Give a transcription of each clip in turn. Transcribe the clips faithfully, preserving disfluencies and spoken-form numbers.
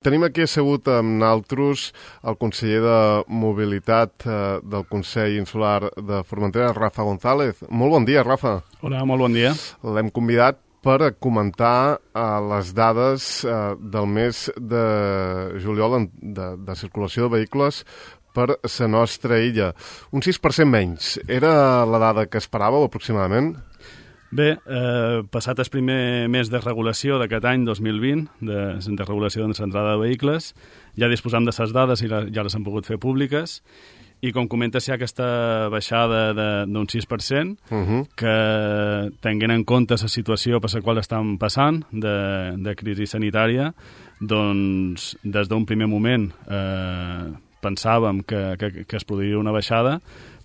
Tenim aquí assegut amb naltros el conseller de Mobilitat eh, del Consell Insular de Formentera, Rafa González. Molt bon dia, Rafa. Hola, molt bon dia. L'hem convidat per comentar eh, les dades eh, del mes de juliol en, de, de circulació de vehicles per la nostra illa. Un sis per cent menys. Era la dada que esperàveu aproximadament? Bé, eh, passat el primer mes de regulació d'aquest any dos mil vint, de, de regulació d'entrada de vehicles, ja disposam de les dades i la, ja les hem pogut fer públiques, i com comentes hi ha aquesta baixada d'un sis per cent, uh -huh. que tenint en compte la situació per la qual estem passant, de, de crisi sanitària, doncs des d'un primer moment eh, pensàvem que, que, que es produiria una baixada,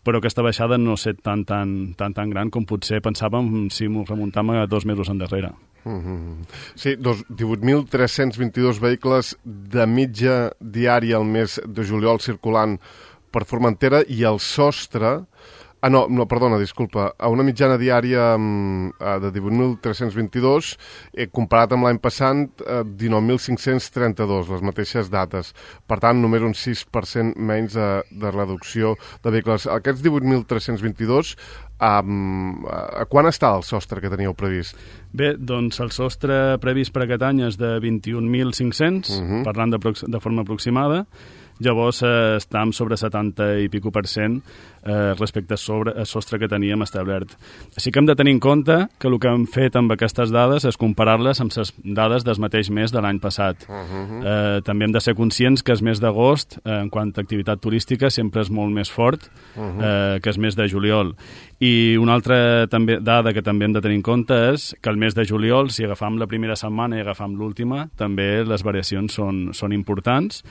però aquesta baixada no ha estat tan, tan, tan, tan gran com potser pensàvem si m'ho remuntem a dos mesos endarrere. Mm-hmm. Sí, divuit mil tres-cents vint-i-dos vehicles de mitja diària al mes de juliol circulant per Formentera i el sostre... Ah, no, no, perdona, disculpa. A una mitjana diària um, de divuit mil tres-cents vint-i-dos, eh, comparat amb l'any passat, eh, dinou mil cinc-cents trenta-dos, les mateixes dates. Per tant, només un sis per cent menys de, de reducció de vehicles. Aquests divuit mil tres-cents vint-i-dos, um, a quan està el sostre que teníeu previst? Bé, doncs el sostre previst per aquest any és de vint-i-un mil cinc-cents, uh-huh. parlant de, de forma aproximada. Llavors eh, estem sobre setanta i pico per cent eh, respecte al sobre, el sostre que teníem establert. Així que hem de tenir en compte que el que hem fet amb aquestes dades és comparar-les amb les dades del mateix mes de l'any passat. Uh-huh. eh, també hem de ser conscients que el mes d'agost, eh, en quant a activitat turística, sempre és molt més fort uh-huh. eh, que el mes de juliol. I una altra també, dada que també hem de tenir en compte és que el mes de juliol, si agafam la primera setmana i agafam l'última, també les variacions són, són importants.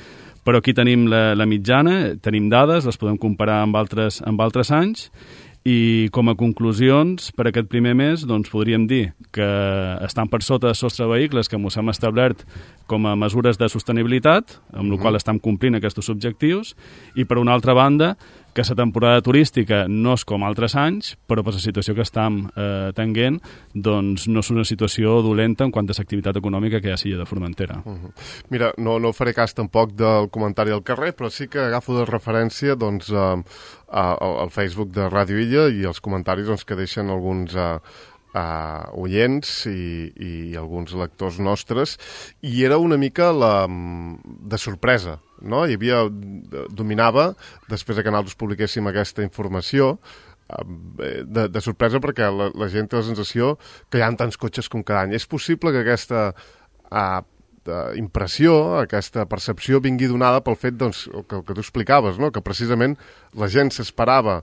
Però aquí tenim la, la mitjana, tenim dades, les podem comparar amb altres, amb altres anys, i com a conclusions per aquest primer mes doncs podríem dir que estan per sota del sostre de vehicles que ens hem establert com a mesures de sostenibilitat, amb la qual estem complint aquests objectius, i per una altra banda que la temporada turística no és com altres anys, però per la situació que estem eh, tenint, doncs no és una situació dolenta en quant a l'activitat econòmica que hi ha a l'illa de Formentera. Uh -huh. Mira, no, no faré cas tampoc del comentari al carrer, però sí que agafo de referència doncs, eh, al Facebook de Ràdio Illa i els comentaris doncs, que deixen alguns eh, Uh, oients i, i alguns lectors nostres, i era una mica la, de sorpresa, no? Hi havia, dominava, després que nosaltres publiquéssim aquesta informació, de, de sorpresa perquè la, la gent té la sensació que hi ha tants cotxes com cada any. És possible que aquesta uh, impressió, aquesta percepció vingui donada pel fet doncs, que, que tu explicaves, no? Que precisament la gent s'esperava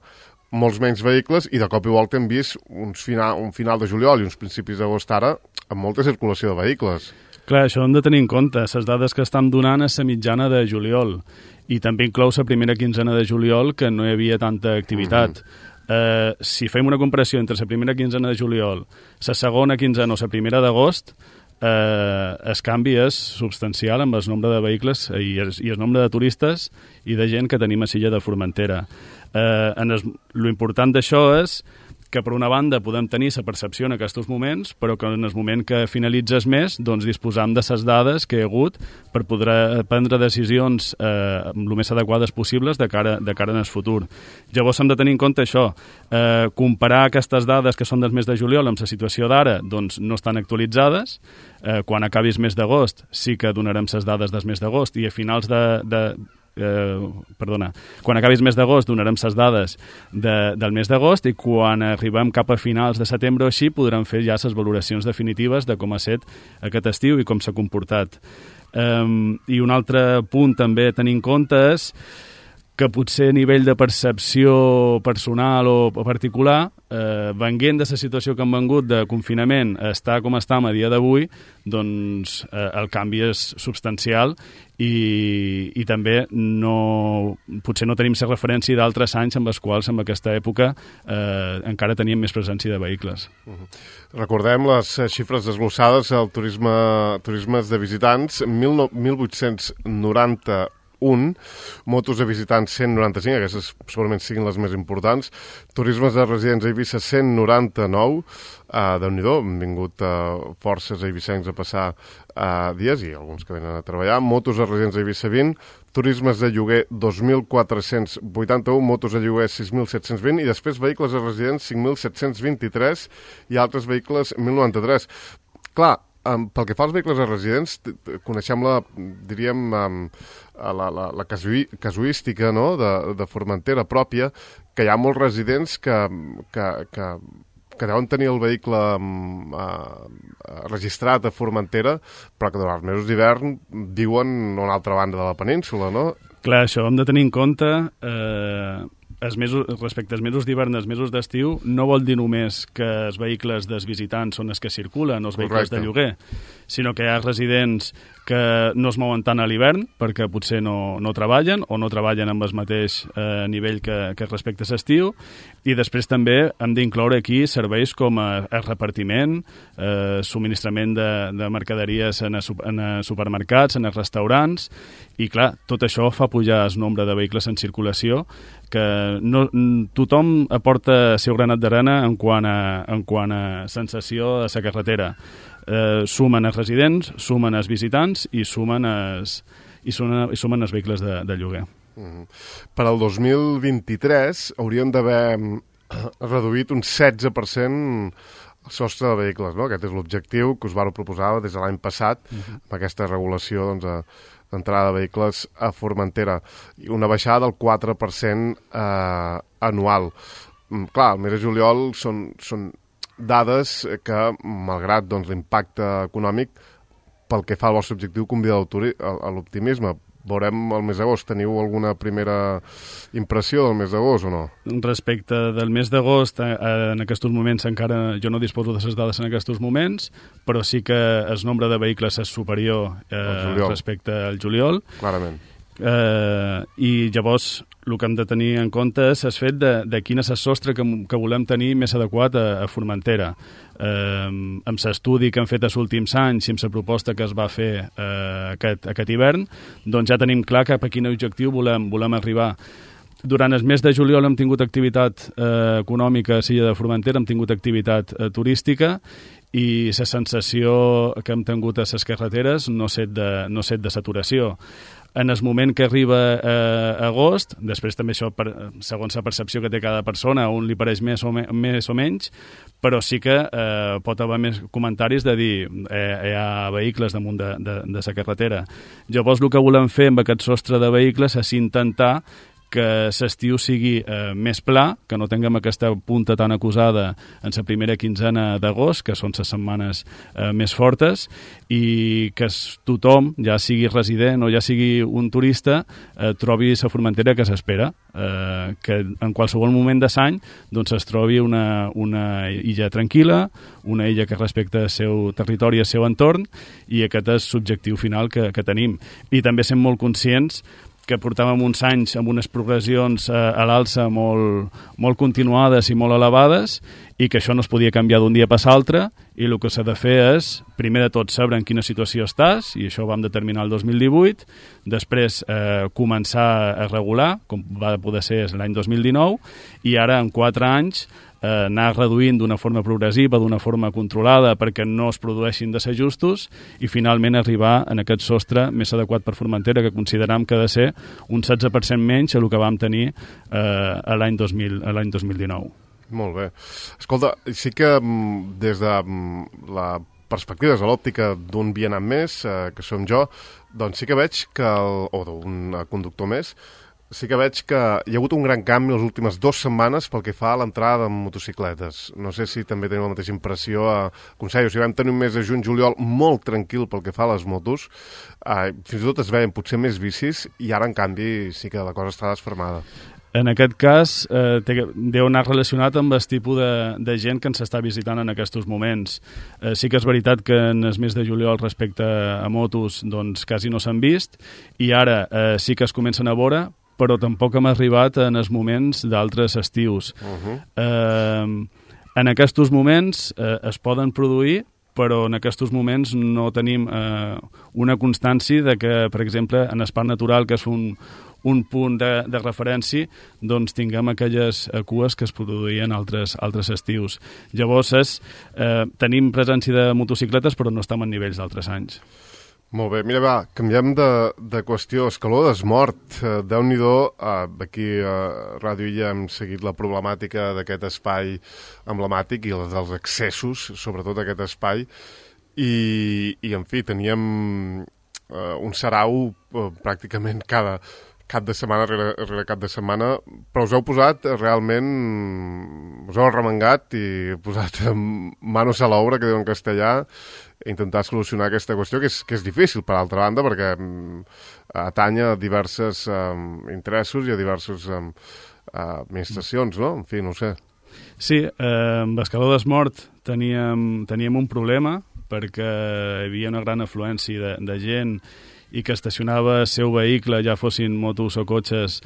molts menys vehicles i de cop i volta hem vist uns final, un final de juliol i uns principis d'agost ara amb molta circulació de vehicles. Clar, això hem de tenir en compte. Les dades que estem donant és la mitjana de juliol i també inclou la primera quinzena de juliol que no hi havia tanta activitat. Mm-hmm. eh, si fem una comparació entre la primera quinzena de juliol, la segona quinzena o la primera d'agost, eh, el canvi és substancial amb el nombre de vehicles i el, i el nombre de turistes i de gent que tenim a l'illa de Formentera. Eh, en es, lo important d'això és que per una banda podem tenir la percepció en aquests moments, però que en el moment que finalitzes més, doncs disposam de les dades que hi ha hagut per poder prendre decisions eh, el més adequades possibles de cara, de cara en el futur. Llavors hem de tenir en compte això, eh, comparar aquestes dades que són del mes de juliol amb la situació d'ara, doncs no estan actualitzades. Eh, quan acabi el mes d'agost sí que donarem les dades del mes d'agost i a finals de... de Eh, perdona, quan acabi el mes d'agost donarem les dades de, del mes d'agost i quan arribem cap a finals de setembre o així podrem fer ja les valoracions definitives de com ha estat aquest estiu i com s'ha comportat. Um, I un altre punt també a tenir en compte és que potser a nivell de percepció personal o particular, eh, venint de la situació que hem vengut de confinament a estar com estem a dia d'avui, doncs eh, el canvi és substancial i, i també no, potser no tenim la referència d'altres anys amb els quals en aquesta època eh, encara teníem més presència de vehicles. Uh-huh. Recordem les xifres desglossades al turisme, turismes de visitants, mil vuit-cents noranta un, motos de visitants cent noranta-cinc, aquestes segurament siguin les més importants, turismes de residents a Eivissa cent noranta-nou, uh, Déu-n'hi-do, han vingut uh, forces eivissencs a passar uh, dies i alguns que venen a treballar, motos de residents a Eivissa vint, turismes de lloguer dos mil quatre-cents vuitanta-un, motos de lloguer sis mil set-cents vint i després vehicles de residents cinc mil set-cents vint-i-tres i altres vehicles mil noranta-tres. Clar, um, pel que fa als vehicles de residents, coneixem la, diríem, um, la, la, la casui, casuística, no?, de, de Formentera pròpia, que hi ha molts residents que, que, que que deuen tenir el vehicle um, uh, registrat a Formentera, però que durant els mesos d'hivern viuen a una altra banda de la península, no? Clar, això hem de tenir en compte, eh, els mesos, respecte als mesos d'hivern, els mesos d'estiu, no vol dir només que els vehicles dels visitants són els que circulen, els vehicles Correcte. De lloguer, sinó que hi ha residents que no es mouen tant a l'hivern perquè potser no, no treballen o no treballen amb el mateix eh, nivell que, que respecte a l'estiu, i després també hem d'incloure aquí serveis com a, a repartiment, eh, subministrament de, de mercaderies en, a, en a supermercats, en a restaurants, i clar, tot això fa pujar el nombre de vehicles en circulació, que no, tothom aporta el seu granat d'arena en quant a, en quant a sensació a la carretera. Eh, sumen els residents, sumen els visitants i sumen els, i sumen, i sumen els vehicles de, de lloguer. Mm-hmm. Per al dos mil vint-i-tres hauríem d'haver reduït un setze per cent el sostre de vehicles, no? Aquest és l'objectiu que us vau proposar des de l'any passat, mm-hmm. amb aquesta regulació doncs, a, d'entrada de vehicles a Formentera, i una baixada del quatre per cent eh, anual. Mm, clar, el mes de juliol són, són dades que, malgrat doncs, l'impacte econòmic, pel que fa al vostre objectiu, convida a l'optimisme. Veurem el mes d'agost. Teniu alguna primera impressió del mes d'agost o no? Respecte del mes d'agost, en aquests moments encara jo no disposo de les dades en aquests moments, però sí que el nombre de vehicles és superior eh, respecte al juliol. Clarament. Eh, I llavors el que hem de tenir en compte és el fet de, de quin és el sostre que, que volem tenir més adequat a, a Formentera. Eh, amb l'estudi que hem fet els últims anys i amb la proposta que es va fer eh, aquest, aquest hivern, doncs ja tenim clar cap a quin objectiu volem, volem arribar. Durant el mes de juliol hem tingut activitat eh, econòmica a l'illa de Formentera, hem tingut activitat eh, turística, i la sensació que hem tingut a les carreteres no set de, no set de saturació. En el moment que arriba eh, agost, després també això, per, segons la percepció que té cada persona, a un li pareix més o, me, més o menys, però sí que eh, pot haver més comentaris de dir eh, hi ha vehicles damunt de, de, de la carretera. Llavors el que volem fer amb aquest sostre de vehicles és intentar que l'estiu sigui eh, més pla, que no tinguem aquesta punta tan acusada en la primera quinzena d'agost, que són les setmanes eh, més fortes, i que tothom, ja sigui resident o ja sigui un turista, eh, trobi la Formentera que s'espera, eh, que en qualsevol moment de l'any doncs, es trobi una, una illa tranquil·la, una illa que respecta el seu territori i el seu entorn, i aquest és l'objectiu final que, que tenim. I també som molt conscients que portàvem uns anys amb unes progressions eh, a l'alça molt, molt continuades i molt elevades, i que això no es podia canviar d'un dia per l'altre, i el que s'ha de fer és, primer de tot, saber en quina situació estàs, i això ho vam determinar el dos mil divuit, després eh, començar a regular, com va poder ser l'any dos mil dinou, i ara, en quatre anys, eh, anar reduint d'una forma progressiva, d'una forma controlada, perquè no es produeixin desajustos, i finalment arribar en aquest sostre més adequat per Formentera, que consideram que ha de ser un setze per cent menys a el que vam tenir eh, a l'any dos mil dinou. Molt bé. Escolta, sí que des de la perspectiva, des de l'òptica d'un vianant més, eh, que som jo, doncs sí que veig que, el, o d'un conductor més, sí que veig que hi ha hagut un gran canvi les últimes dues setmanes pel que fa a l'entrada de motocicletes. No sé si també teniu la mateixa impressió a Consell. O sigui, vam tenir un mes de juny-juliol molt tranquil pel que fa a les motos. Eh, fins i tot es veien potser més bicis i ara, en canvi, sí que la cosa està desfermada. En aquest cas, eh, té, deu anar relacionat amb el tipus de, de gent que ens està visitant en aquests moments. Eh, sí que és veritat que en el mes de juliol respecte a motos doncs quasi no s'han vist, i ara eh, sí que es comencen a veure, però tampoc hem arribat en els moments d'altres estius. Uh-huh. Eh, en aquests moments eh, es poden produir però en aquests moments no tenim eh, una constància de que, per exemple, en el parc natural, que és un, un punt de, de referència, doncs tinguem aquelles cues que es produïen altres, altres estius. Llavors, és, eh, tenim presència de motocicletes, però no estem en nivells d'altres anys. Molt bé, mira, va, canviem de, de qüestió. Escaló d'Esmort, eh, Déu-n'hi-do, eh, aquí a Ràdio Illa hem seguit la problemàtica d'aquest espai emblemàtic i els dels accessos, sobretot aquest espai, i, i en fi, teníem eh, un sarau eh, pràcticament cada cap de setmana rere, rere cap de setmana, però us heu posat realment, us heu arremangat i posat manos a l'obra, que diu en castellà, intentar solucionar aquesta qüestió, que és, que és difícil, per altra banda, perquè um, atanya a diversos um, interessos i a diverses um, uh, administracions, no? En fi, no ho sé. Sí, eh, amb Escaló d'Esmort teníem, teníem un problema, perquè hi havia una gran afluència de, de gent i que estacionava el seu vehicle, ja fossin motos o cotxes,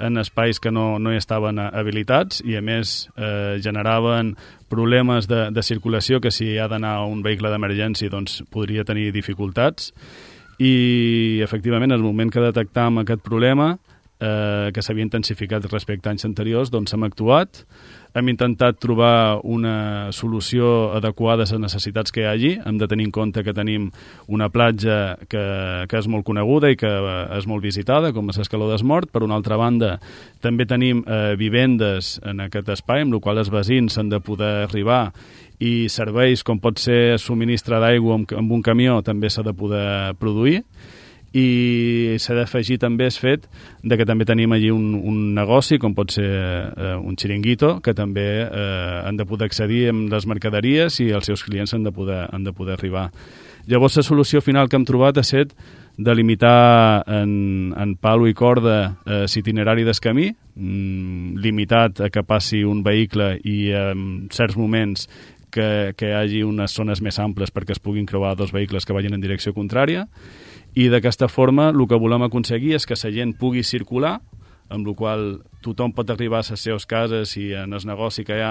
en espais que no, no hi estaven habilitats i, a més, eh, generaven problemes de, de circulació que si ha d'anar un vehicle d'emergència doncs podria tenir dificultats. I, efectivament, en el moment que detectam aquest problema, eh, que s'havia intensificat respecte a anys anteriors, doncs hem actuat, hem intentat trobar una solució adequada a les necessitats que hi hagi. Hem de tenir en compte que tenim una platja que, que és molt coneguda i que és molt visitada, com és l'Escaló d'Esmort. Per una altra banda, també tenim eh, vivendes en aquest espai, amb la qual els veïns han de poder arribar, i serveis com pot ser subministre d'aigua amb, amb un camió també s'ha de poder produir. I s'ha d'afegir també el fet de que també tenim allí un, un negoci, com pot ser eh, un xiringuito, que també eh, han de poder accedir amb les mercaderies i els seus clients han de poder, han de poder arribar. Llavors, la solució final que hem trobat ha estat de limitar en, en palo i corda eh, l'itinerari del camí, mm, limitat a que passi un vehicle i en certs moments que, que hi hagi unes zones més amples perquè es puguin creuar dos vehicles que vagin en direcció contrària. I d'aquesta forma el que volem aconseguir és que la gent pugui circular, amb la qual tothom pot arribar a les seves cases i en el negoci que hi ha,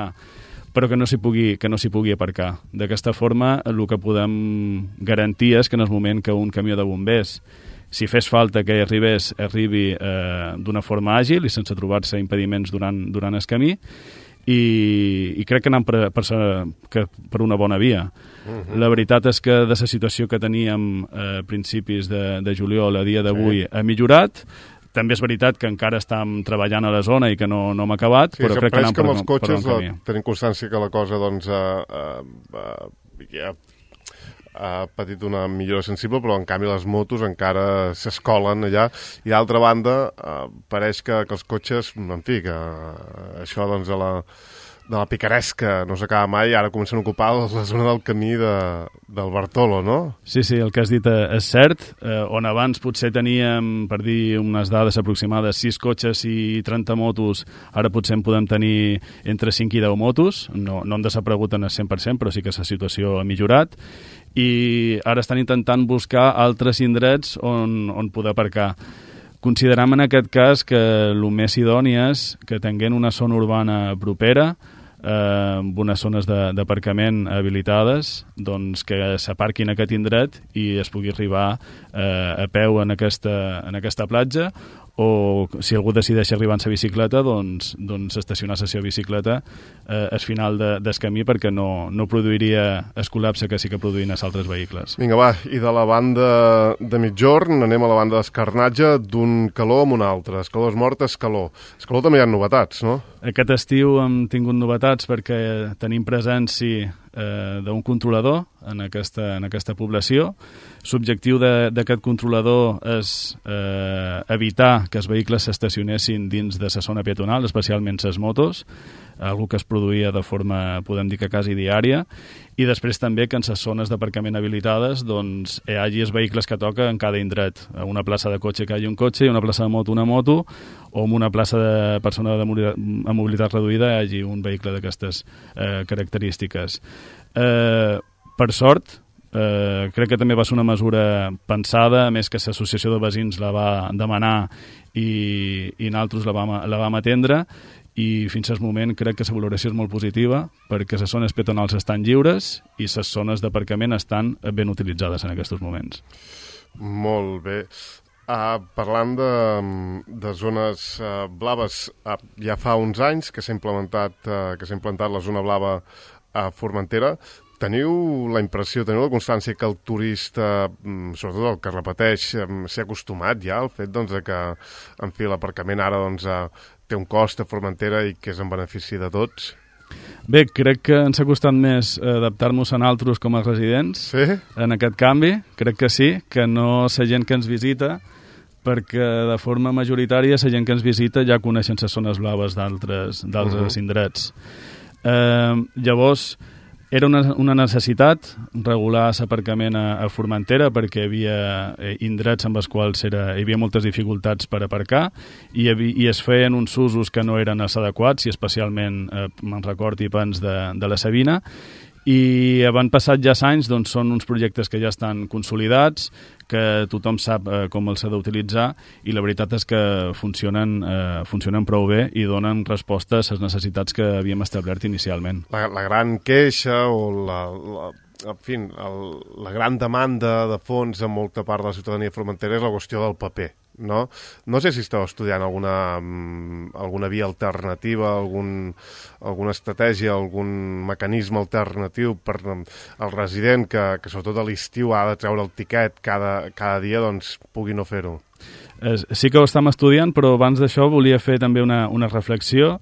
però que no s'hi pugui, que no s'hi pugui aparcar. D'aquesta forma el que podem garantir és que en el moment que un camió de bombers, si fes falta que arribés, arribi eh, d'una forma àgil i sense trobar-se impediments durant, durant el camí, i, i crec que anem per, per, que per una bona via. Uh-huh. La veritat és que de la situació que teníem a principis de, de juliol a dia d'avui sí. ha millorat. També és veritat que encara estem treballant a la zona i que no, no hem acabat, sí, però crec que anem per, els cotxes, per un camí. Tenim constància que la cosa doncs, uh, uh, uh, ja ha patit una millora sensible, però en canvi les motos encara s'escolen allà. I d'altra banda, eh, pareix que, que els cotxes, en fi, que eh, això doncs, de la, de la picaresca no s'acaba mai, ara comencen a ocupar la zona del camí de, del Bartolo, no? Sí, sí, el que has dit és cert. Eh, on abans potser teníem, per dir unes dades aproximades, sis cotxes i trenta motos, ara potser en podem tenir entre cinc i deu motos. No, no han desaparegut en el cent per cent, però sí que la situació ha millorat. I ara estan intentant buscar altres indrets on, on poder aparcar. Considerem en aquest cas que el més idoni és que tinguem una zona urbana propera, eh, amb unes zones d'aparcament habilitades, doncs que s'aparquin a aquest indret i es pugui arribar eh, a peu en aquesta, en aquesta platja, o si algú decideix arribar en sa bicicleta, doncs, doncs estacionar la seva bicicleta eh, al final de, del camí, perquè no, no produiria el col·lapse que sí que produïen els altres vehicles. Vinga, va, i de la banda de mitjorn anem a la banda d'escarnatge, d'un calor amb un altre. Escaló d'Esmort, Escaló. Escaló també hi ha novetats, no? Aquest estiu hem tingut novetats perquè tenim presència eh, d'un controlador en aquesta, en aquesta població. L'objectiu d'aquest controlador és eh, evitar que els vehicles s'estacionessin dins de la zona peatonal, especialment les motos, algo que es produïa de forma, podem dir que quasi diària, i després també que en les zones d'aparcament habilitades doncs, hi hagi els vehicles que toca en cada indret. A una plaça de cotxe que hi hagi un cotxe, i una plaça de moto una moto, o en una plaça de persona de mobilitat, amb mobilitat reduïda hi hagi un vehicle d'aquestes eh, característiques. Eh, per sort, eh, crec que també va ser una mesura pensada, a més que l'associació de veïns la va demanar i, i nosaltres la vam, la vam atendre, i fins al moment crec que la valoració és molt positiva perquè les zones peatonals estan lliures i les zones d'aparcament estan ben utilitzades en aquests moments. Molt bé. Uh, parlant de, de zones uh, blaves, uh, ja fa uns anys que s'ha implementat, uh, que s'ha implantat la zona blava a Formentera. Teniu la impressió, teniu la constància que el turista, sobretot el que repeteix, s'ha acostumat ja al fet doncs, que, en fi, l'aparcament ara doncs, té un cost a Formentera i que és en benefici de tots? Bé, crec que ens ha costat més adaptar-nos a nosaltres com a residents sí? en aquest canvi. Crec que sí, que no la gent que ens visita, perquè de forma majoritària la gent que ens visita ja coneixen les zones blaves d'altres uh-huh. indrets. Eh, llavors, era una, una necessitat regular l'aparcament a, a Formentera perquè hi havia eh, indrets amb els quals era, hi havia moltes dificultats per aparcar i, havia, i es feien uns usos que no eren els adequats i especialment, eh, me'n record, i pans de, de la Sabina. I havent passat ja anys, doncs són uns projectes que ja estan consolidats, que tothom sap eh, com els ha d'utilitzar i la veritat és que funcionen, eh, funcionen prou bé i donen resposta a les necessitats que havíem establert inicialment. La, la gran queixa o la, la, en fi, el, la gran demanda de fons en molta part de la ciutadania formentera és la qüestió del paper. No? No sé si esteu estudiant alguna, alguna via alternativa, algun, alguna estratègia, algun mecanisme alternatiu per al resident que, que sobretot a l'estiu ha de treure el tiquet cada, cada dia, doncs pugui no fer-ho. Eh, sí que ho estem estudiant, però abans d'això volia fer també una, una reflexió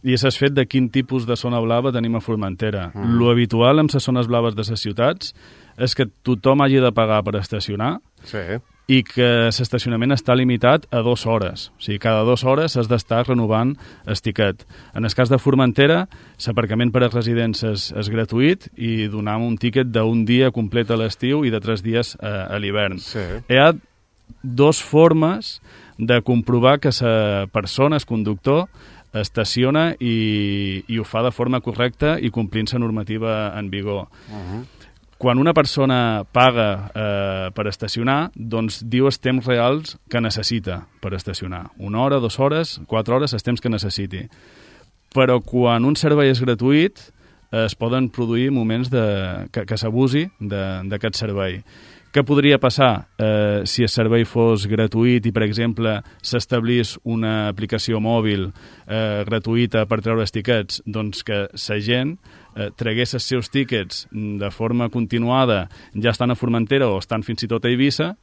i és el fet de quin tipus de zona blava tenim a Formentera. Mm. Lo habitual amb les zones blaves de les ciutats és que tothom hagi de pagar per estacionar sí. i que l'estacionament està limitat a dues hores. O sigui, cada dues hores has d'estar renovant el tiquet. En el cas de Formentera, l'aparcament per a residents és, és gratuït i donem un tiquet d'un dia complet a l'estiu i de tres dies a, a l'hivern. Sí. Hi ha dues formes de comprovar que la persona, el conductor, estaciona i, i ho fa de forma correcta i complint la normativa en vigor. Uh-huh. Quan una persona paga eh, per estacionar, doncs diu els temps reals que necessita per estacionar. Una hora, dues hores, quatre hores, els temps que necessiti. Però quan un servei és gratuït, eh, es poden produir moments de, que, que s'abusi d'aquest servei. Què podria passar eh, si el servei fos gratuït i, per exemple, s'establís una aplicació mòbil eh, gratuïta per treure els tiquets? Doncs que la gent eh, tragués els seus tiquets de forma continuada, ja estan a Formentera o estan fins i tot a Eivissa,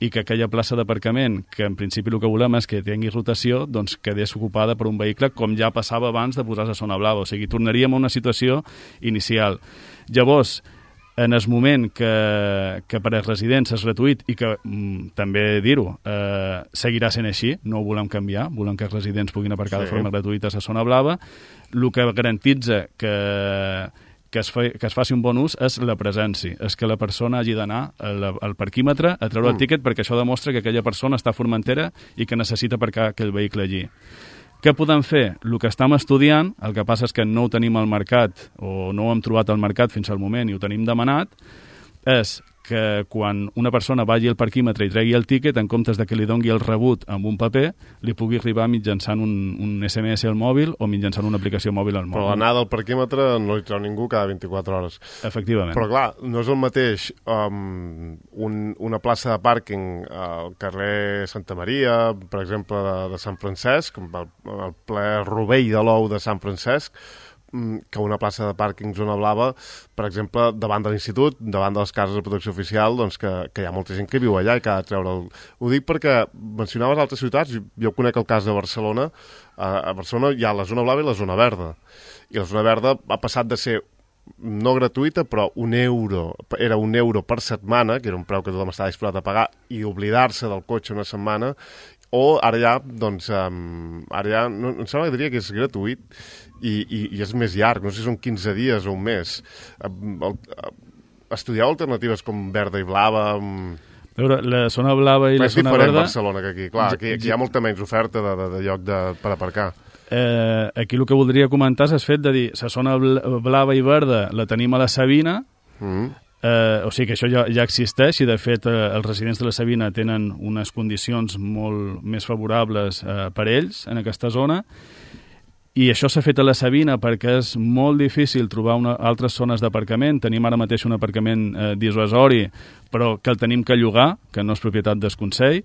i que aquella plaça d'aparcament, que en principi el que volem és que tingui rotació, doncs quedés ocupada per un vehicle com ja passava abans de posar la zona blava. O sigui, tornaríem a una situació inicial. Llavors, en el moment que, que per als residents és gratuït i que, mm, també dir-ho, eh, seguirà sent així, no ho volem canviar, volem que els residents puguin aparcar sí. de forma gratuïta a la zona blava, el que garantitza que, que, es fa, que es faci un bon ús és la presència, és que la persona hagi d'anar al, al parquímetre a treure mm. el tíquet perquè això demostra que aquella persona està a Formentera i que necessita aparcar aquell vehicle allí. Què podem fer? El que estem estudiant, el que passa és que no ho tenim al mercat o no ho hem trobat al mercat fins al moment i ho tenim demanat, és que quan una persona vagi al parquímetre i tregui el tíquet, en comptes de que li dongui el rebut amb un paper, li pugui arribar mitjançant un, un esse eme esse al mòbil o mitjançant una aplicació mòbil al mòbil. Però l'anada al parquímetre no li treu ningú cada vint-i-quatre hores. Efectivament. Però clar, no és el mateix um, un, una plaça de pàrquing al carrer Santa Maria, per exemple, de, de Sant Francesc, el, el ple rovell de l'ou de Sant Francesc, que una plaça de pàrquing zona blava, per exemple, davant de l'institut, davant de les cases de protecció oficial, doncs que, que hi ha molta gent que viu allà i que ha de treure el... Ho dic perquè mencionaves altres ciutats, jo conec el cas de Barcelona, a Barcelona hi ha la zona blava i la zona verda, i la zona verda ha passat de ser no gratuïta, però un euro, era un euro per setmana, que era un preu que tothom estava disposat a pagar, i oblidar-se del cotxe una setmana, o ara ja, doncs, um, ara ja, no, em sembla que diria que és gratuït i, i, i és més llarg, no sé si són quinze dies o un mes. Uh, uh, estudieu alternatives com verda i blava... Um... A veure, la zona blava i la zona verda... És diferent Barcelona que aquí, clar, aquí, aquí hi ha molta menys oferta de, de, de lloc de, per aparcar. Eh, aquí el que voldria comentar és el fet de dir, la zona blava i verda la tenim a la Sabina, mm. Eh, o sigui que això ja, ja existeix i de fet eh, els residents de la Sabina tenen unes condicions molt més favorables eh, per ells en aquesta zona I això s'ha fet a la Sabina perquè és molt difícil trobar una, altres zones d'aparcament. Tenim ara mateix un aparcament eh, dissuasori, però que el tenim que llogar, que no és propietat del Consell,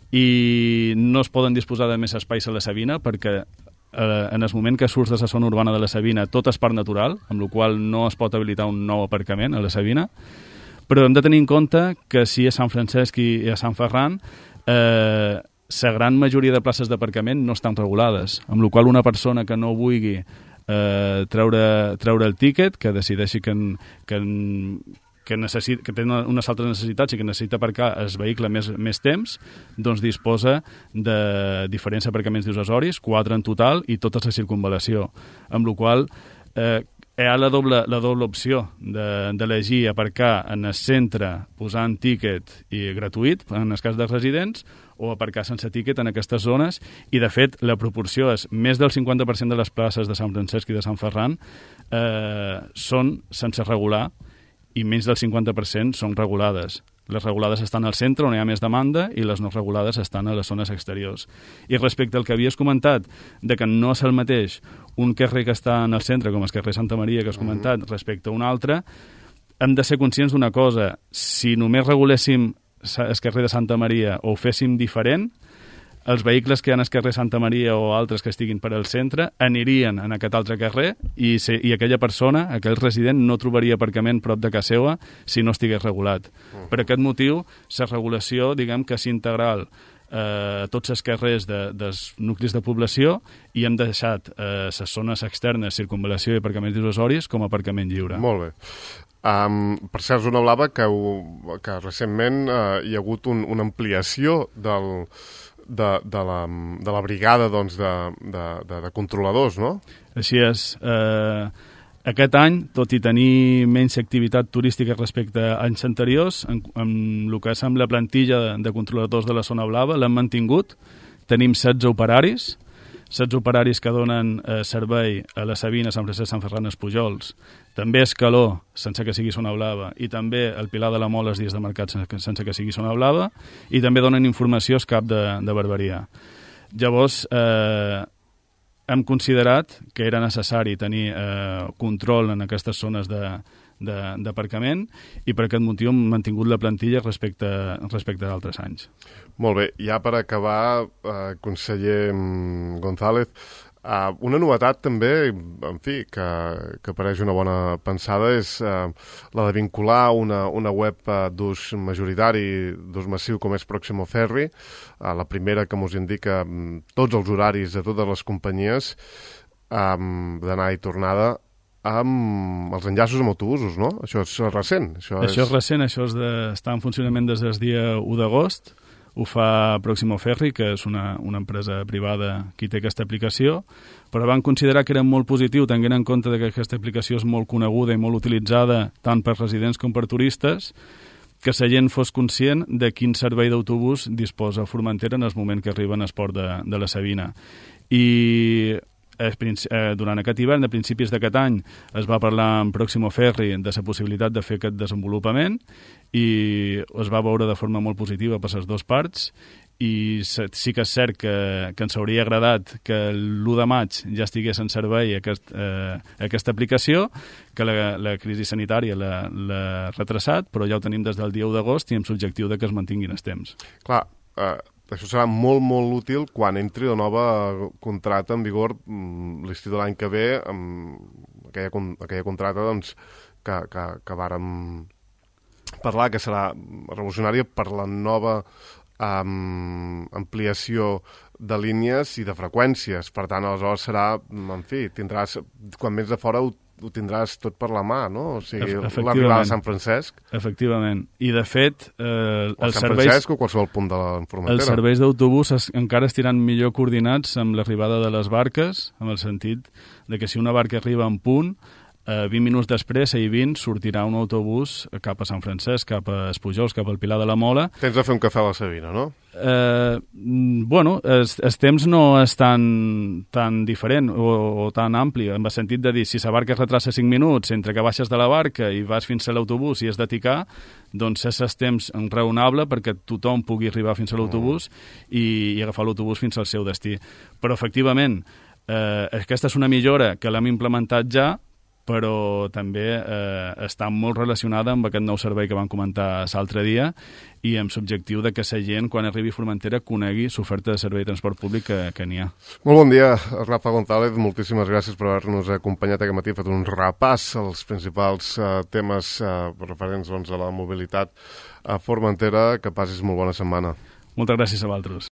i no es poden disposar de més espais a la Sabina perquè eh, en el moment que surts de la zona urbana de la Sabina tot és parc natural, amb la qual no es pot habilitar un nou aparcament a la Sabina, però hem de tenir en compte que si a Sant Francesc i a Sant Ferran eh, la gran majoria de places d'aparcament no estan regulades, amb la qual una persona que no vulgui eh, treure, treure el tíquet, que decideixi que, que, que, necessit, que té unes altres necessitats i que necessita aparcar el vehicle més, més temps, doncs disposa de diferents aparcaments dissuasoris, quatre en total, i tota la circunvalació, amb la qual eh, hi ha la doble, la doble opció d'elegir de, aparcar en el centre posant tíquet i gratuït, en el cas dels residents, o aparcar sense tíquet en aquestes zones, i de fet la proporció és més del cinquanta per cent de les places de Sant Francesc i de Sant Ferran eh, són sense regular i menys del cinquanta per cent són regulades. Les regulades estan al centre, on hi ha més demanda, i les no regulades estan a les zones exteriors. I respecte al que havies comentat, de que no és el mateix un carrer que està en el centre, com el carrer Santa Maria que has comentat, mm-hmm. respecte a un altre, hem de ser conscients d'una cosa. Si només reguléssim el carrer de Santa Maria o ho féssim diferent, els vehicles que hi ha al carrer Santa Maria o altres que estiguin per al centre anirien en aquest altre carrer i, se, i aquella persona, aquell resident, no trobaria aparcament prop de casa seva si no estigués regulat. Uh-huh. Per aquest motiu, la regulació, diguem que és integral a eh, tots els carrers de, dels nuclis de població, i hem deixat eh, les zones externes, circunvalació i aparcaments dissuasoris com a aparcament lliure. Molt bé. Um, per cert, Zona Blava, que, que recentment uh, hi ha hagut un, una ampliació del, de, de, la, de la brigada doncs, de, de, de, de controladors, no? Així és. Eh, aquest any, tot i tenir menys activitat turística respecte a anys anteriors, en, en el que és amb la plantilla de, de controladors de la Zona Blava, l'hem mantingut. Tenim setze operaris, setze operaris que donen eh, servei a la Sabina, Sant Francesc, Sant Ferran, els Pujols, també Escaló, sense que sigui Zona Blava, i també el Pilar de la Mola els dies de mercat sense, sense que sigui Zona Blava, i també donen informació al cap de, de Barberia. Llavors, eh, hem considerat que era necessari tenir eh, control en aquestes zones de d'aparcament, i per aquest motiu hem mantingut la plantilla respecte, respecte a altres anys. Molt bé, ja per acabar, eh, conseller González, eh, una novetat també, en fi, que, que pareix una bona pensada, és eh, la de vincular una, una web eh, d'ús majoritari, d'ús massiu com és Proximo Ferry, eh, la primera que ens indica eh, tots els horaris de totes les companyies eh, d'anar i tornada, amb els enllaços amb autobusos, no? Això és recent. Això, això és... és recent, això és de... està en funcionament des del dia u d'agost. Ho fa Proximo Ferry, que és una, una empresa privada qui té aquesta aplicació, però van considerar que era molt positiu, tenint en compte que aquesta aplicació és molt coneguda i molt utilitzada tant per residents com per turistes, que la gent fos conscient de quin servei d'autobús disposa Formentera en el moment que arriben al port de, de la Sabina. I durant aquest hivern, a principis d'aquest any, es va parlar amb Proximo Ferry de la possibilitat de fer aquest desenvolupament, i es va veure de forma molt positiva per les dues parts, i sí que és cert que, que ens hauria agradat que l'u de maig ja estigués en servei aquest, eh, aquesta aplicació, que la, la crisi sanitària l'ha retrasat, però ja ho tenim des del dia u d'agost i amb l'objectiu de que es mantinguin els temps. Clar, eh... això serà molt, molt útil quan entri la nova contrata en vigor l'estiu de l'any que ve, amb aquella, aquella contrata doncs, que, que, que vàrem parlar, que serà revolucionària per la nova um, ampliació de línies i de freqüències. Per tant, aleshores serà, en fi, tindràs, quan vens de fora ho ho tindràs tot per la mà, no? O sigui, l'arribada a Sant Francesc. Efectivament. I, de fet, eh, o Sant serveis, Francesc o qualsevol punt de la Formentera. Els serveis d'autobús es, encara estiran millor coordinats amb l'arribada de les barques, amb el sentit de que si una barca arriba en punt, eh, vint minuts després, a I vint, sortirà un autobús cap a Sant Francesc, cap a Espujols, cap al Pilar de la Mola. Tens de fer un cafè a la Sabina, no? Eh, bueno, el temps no és tan, tan diferent o, o tan ampli, en el sentit de dir, si la barca es retrasa cinc minuts entre que baixes de la barca i vas fins a l'autobús i has de ticar, doncs és el temps raonable perquè tothom pugui arribar fins a l'autobús i, i agafar l'autobús fins al seu destí. Però, efectivament, Eh, aquesta és una millora que l'hem implementat ja, però també eh, està molt relacionada amb aquest nou servei que vam comentar l'altre dia i amb l'objectiu de que la gent, quan arribi a Formentera, conegui l'oferta de servei de transport públic que, que n'hi ha. Molt bon dia, Rafa González. Moltíssimes gràcies per haver-nos acompanyat aquest matí. He fet un repàs als principals uh, temes uh, referents doncs, a la mobilitat a Formentera. Que passis molt bona setmana. Moltes gràcies a vosaltres.